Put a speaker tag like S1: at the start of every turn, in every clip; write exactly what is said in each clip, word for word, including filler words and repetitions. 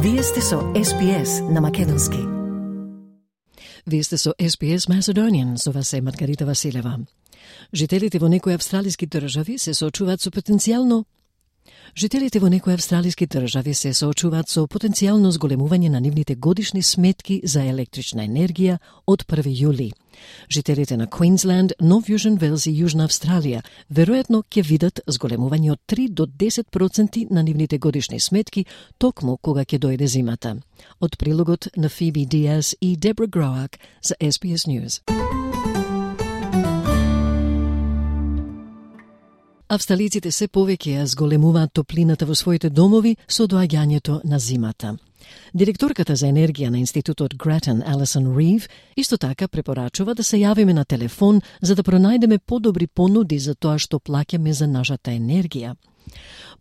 S1: Вие сте со Ес Би Ес на македонски.
S2: Вие сте со Ес Би Ес Macedonian, со вас е Маргарита Василева. Жителите во некои австралиски држави се соочуваат со потенцијално Жителите во некои австралиски држави се соочуваат со потенцијално зголемување на нивните годишни сметки за електрична енергија од први јули. Жителите на Квинсленд, Нов Јужен Велс и Јужна Австралија веројатно ќе видат зголемување од три до десет проценти на нивните годишни сметки токму кога ќе дојде зимата. Од прилогот на Фиби Диас и Дебра Гроак за Ес Би Ес News. Австралиците се повеќе ја зголемуваат топлината во своите домови со доаѓањето на зимата. Директорката за енергија на Институтот Grattan, Alison Reeve, исто така препорачува да се јавиме на телефон за да пронајдеме подобри понуди за тоа што плаќаме за нашата енергија.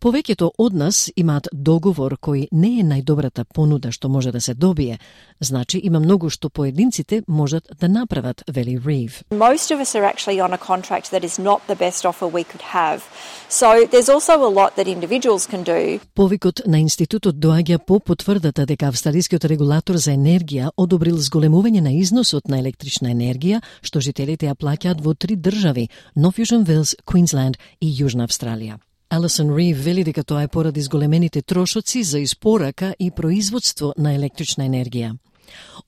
S2: Повеќето од нас имаат договор кој не е најдобрата понуда што може да се добие. Значи има многу што поединците можат да направат, вели Reeve.
S3: Most of us are actually on a contract that is not the best offer we could have. So there's also a lot that individuals can do.
S2: Повикот на институтот доаѓа по потврдата дека австралискиот регулатор за енергија одобрил зголемување на износот на електрична енергија што жителите ја плаќаат во три држави: Нов Јужен Велс, Квинсленд и Јужна Австралија. Алисон Рив вели дека тоа е поради зголемените трошоци за испорака и производство на електрична енергија.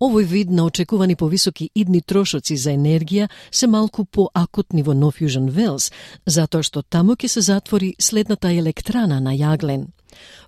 S2: Овој вид на очекувани повисоки идни трошоци за енергија се малку поакутни во Нов Јужен Велс, затоа што таму ќе се затвори следната електрана на јаглен.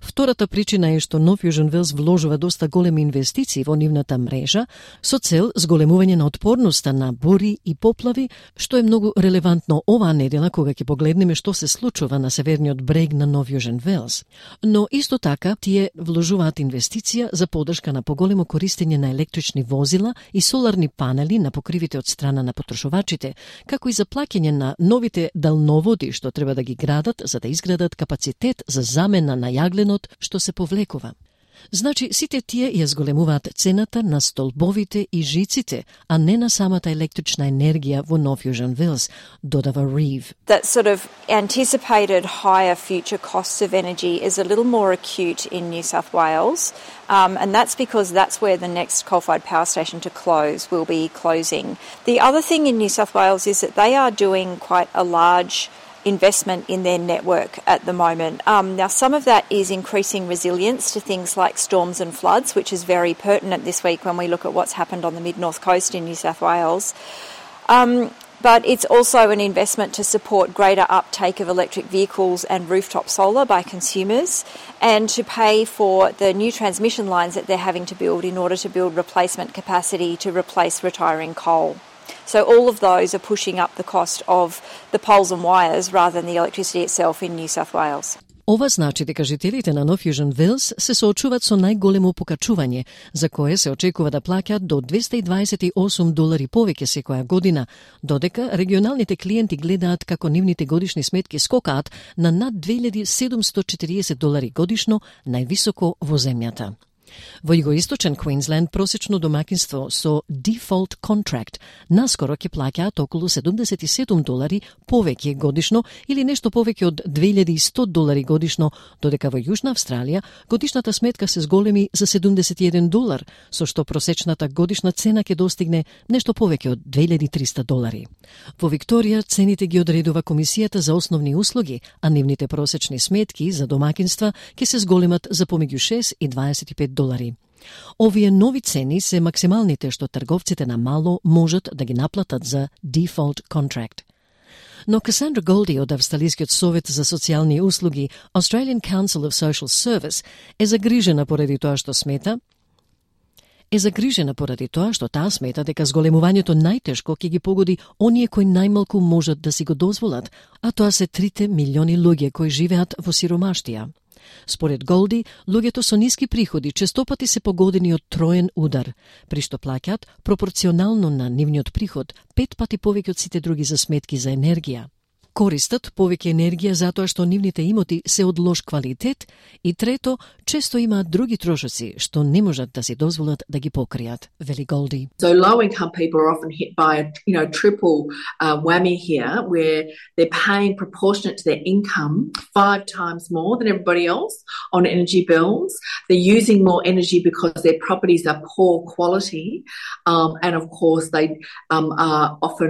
S2: Втората причина е што Нов Јужен Велс вложува доста големи инвестиции во нивната мрежа со цел зголемување на отпорноста на бури и поплави, што е многу релевантно оваа недела кога ќе погледнеме што се случува на северниот брег на Нов Јужен Велс. Но исто така тие вложуваат инвестиција за поддршка на поголемо користење на електрични возила и соларни панели на покривите од страна на потрошувачите, како и за плаќање на новите далноводи што треба да ги градат за да изградат капацитет за замена на јагленот што се повлекува. Значи, сите тие ја зголемуваат цената на столбовите и жиците, а не на самата електрична енергија во Нов Јужен Велс, додава Reeve.
S3: That sort of anticipated higher future costs of energy is a little more acute in New South Wales, um, and that's because that's where the next coal-fired power station to close will be closing. The other thing in New South Wales is that they are doing quite a large investment in their network at the moment. Um, now, some of that is increasing resilience to things like storms and floods, which is very pertinent this week when we look at what's happened on the mid-north coast in New South Wales. Um, but it's also an investment to support greater uptake of electric vehicles and rooftop solar by consumers, and to pay for the new transmission lines that they're having to build in order to build replacement capacity to replace retiring coal. So all of those are pushing up the cost of the poles and wires rather than the electricity itself in New South Wales.
S2: Ова значи дека жителите на Нов Јужен Велс се соочуваат со најголемо покачување, за кое се очекува да плаќаат до двесте и дваесет и осум долари повеќе секоја година, додека регионалните клиенти гледаат како нивните годишни сметки скокаат на над две илјади седумстотини и четириесет долари годишно, највисоко во земјата. Во југоисточен Квинсленд просечно домакинство со default contract наскоро ќе плаќаат околу седумдесет и седум долари повеќе годишно или нешто повеќе од две илјади и сто долари годишно, додека во Јужна Австралија годишната сметка се зголеми за седумдесет и еден долар, со што просечната годишна цена ќе достигне нешто повеќе од две илјади и триста долари. Во Викторија цените ги одредува Комисијата за основни услуги, а нивните просечни сметки за домакинства ќе се зголемат за помеѓу шест и дваесет и пет долари. Овие нови цени се максималните што трговците на мало можат да ги наплатат за default contract. Но Касандра Голди од Австралискиот совет за социјални услуги, Australian Council of Social Service, е загрижена поради тоа што смета е загрижена поради тоа што таа смета дека зголемувањето најтешко ќе ги погоди оние кои најмалку можат да си го дозволат, а тоа се трите милиони луѓе кои живеат во сиромаштија. Според Голди, луѓето со ниски приходи честопати се погодени од троен удар, при што плаќаат пропорционално на нивниот приход пет пати повеќе од сите други за сметки за енергија. користат повеќе енергија затоа што нивните имоти се од лош квалитет и трето, често имаат други трошоци што не можат да си дозволат да ги покријат, вели Голди.
S4: So low income people are often hit by a you know triple uh, whammy here, where they're paying proportionate to their income five times more than everybody else on energy bills. They're using more energy because their properties are poor quality, um, and of course they um, are often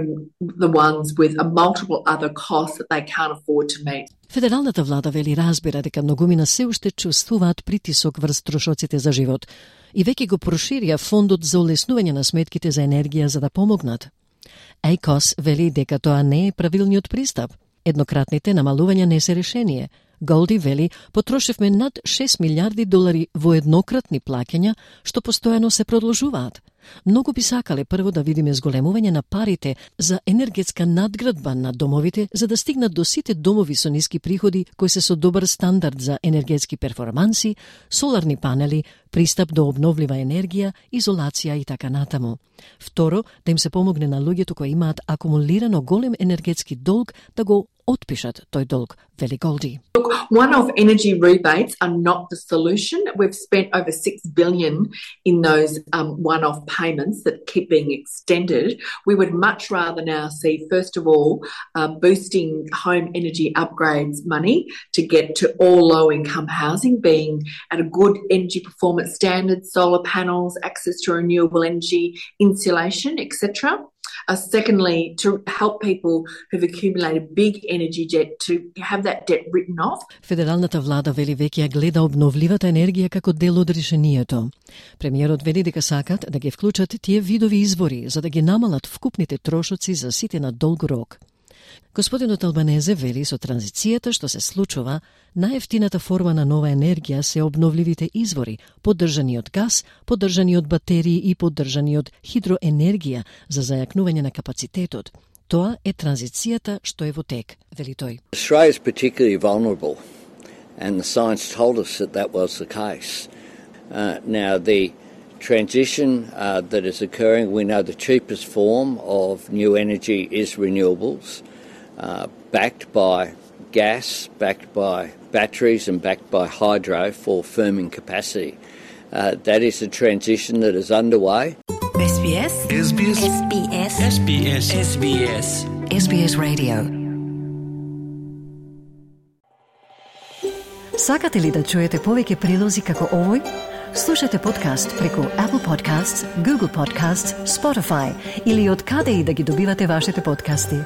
S4: the ones with a multiple other costs that they can't afford to meet.
S2: Федералната влада вели разбира дека многумина се уште чувствуваат притисок врз трошоците за живот и веќе го проширија фондот за олеснување на сметките за енергија за да помогнат. ей кос вели дека тоа не е правилниот пристап. Еднократните намалувања не се решение. Голди вели, потрошевме над шест милиарди долари во еднократни плаќања, што постојано се продолжуваат. Многу би сакале прво да видиме зголемување на парите за енергетска надградба на домовите, за да стигнат до сите домови со ниски приходи кои се со добар стандард за енергетски перформанси, соларни панели, пристап до обновлива енергија, изолација и така натаму. Второ, да им се помогне на луѓето кои имаат акумулирано голем енергетски долг да го отпишат тој долг, вели Голди.
S4: Look, one-off energy rebates are not the solution. We've spent over six billion dollars in those um, one-off payments that keep being extended. We would much rather now see, first of all, uh, boosting home energy upgrades money to get to all low-income housing, being at a good energy performance standard, solar panels, access to renewable energy, insulation, et cetera. Uh, secondly, to help people who've accumulated big energy debt to have that debt written off.
S2: Федералната влада вели веќе ја гледа обновливата енергија како дел од решението. Премиерот вели дека сакат да ги вклучат тие видови извори за да ги намалат вкупните трошоци за сите на долг рок. Господинот Албанезе вели со транзицијата што се случува, најефтината форма на нова енергија се обновливите извори, поддржани од газ, поддржани од батерии и поддржани од хидроенергија за зајакнување на капацитетот. Тоа е транзицијата што е во тек, вели тој.
S5: Australia is particularly vulnerable, and the science told us that that was the case. Uh, now, the transition uh, that is occurring, we know the cheapest form of new energy is renewables, uh, backed by gas, backed by batteries and backed by hydro for firming capacity. Uh, that is a transition that is underway.
S1: S B S
S6: S B S
S1: S B S
S6: S B S S B S
S1: S B S Radio. Сакате ли да чуете повеќе прилози како овој? Слушате подкаст преку Apple Podcasts, Google Podcasts, Spotify или од каде и да ги добивате вашите подкасти.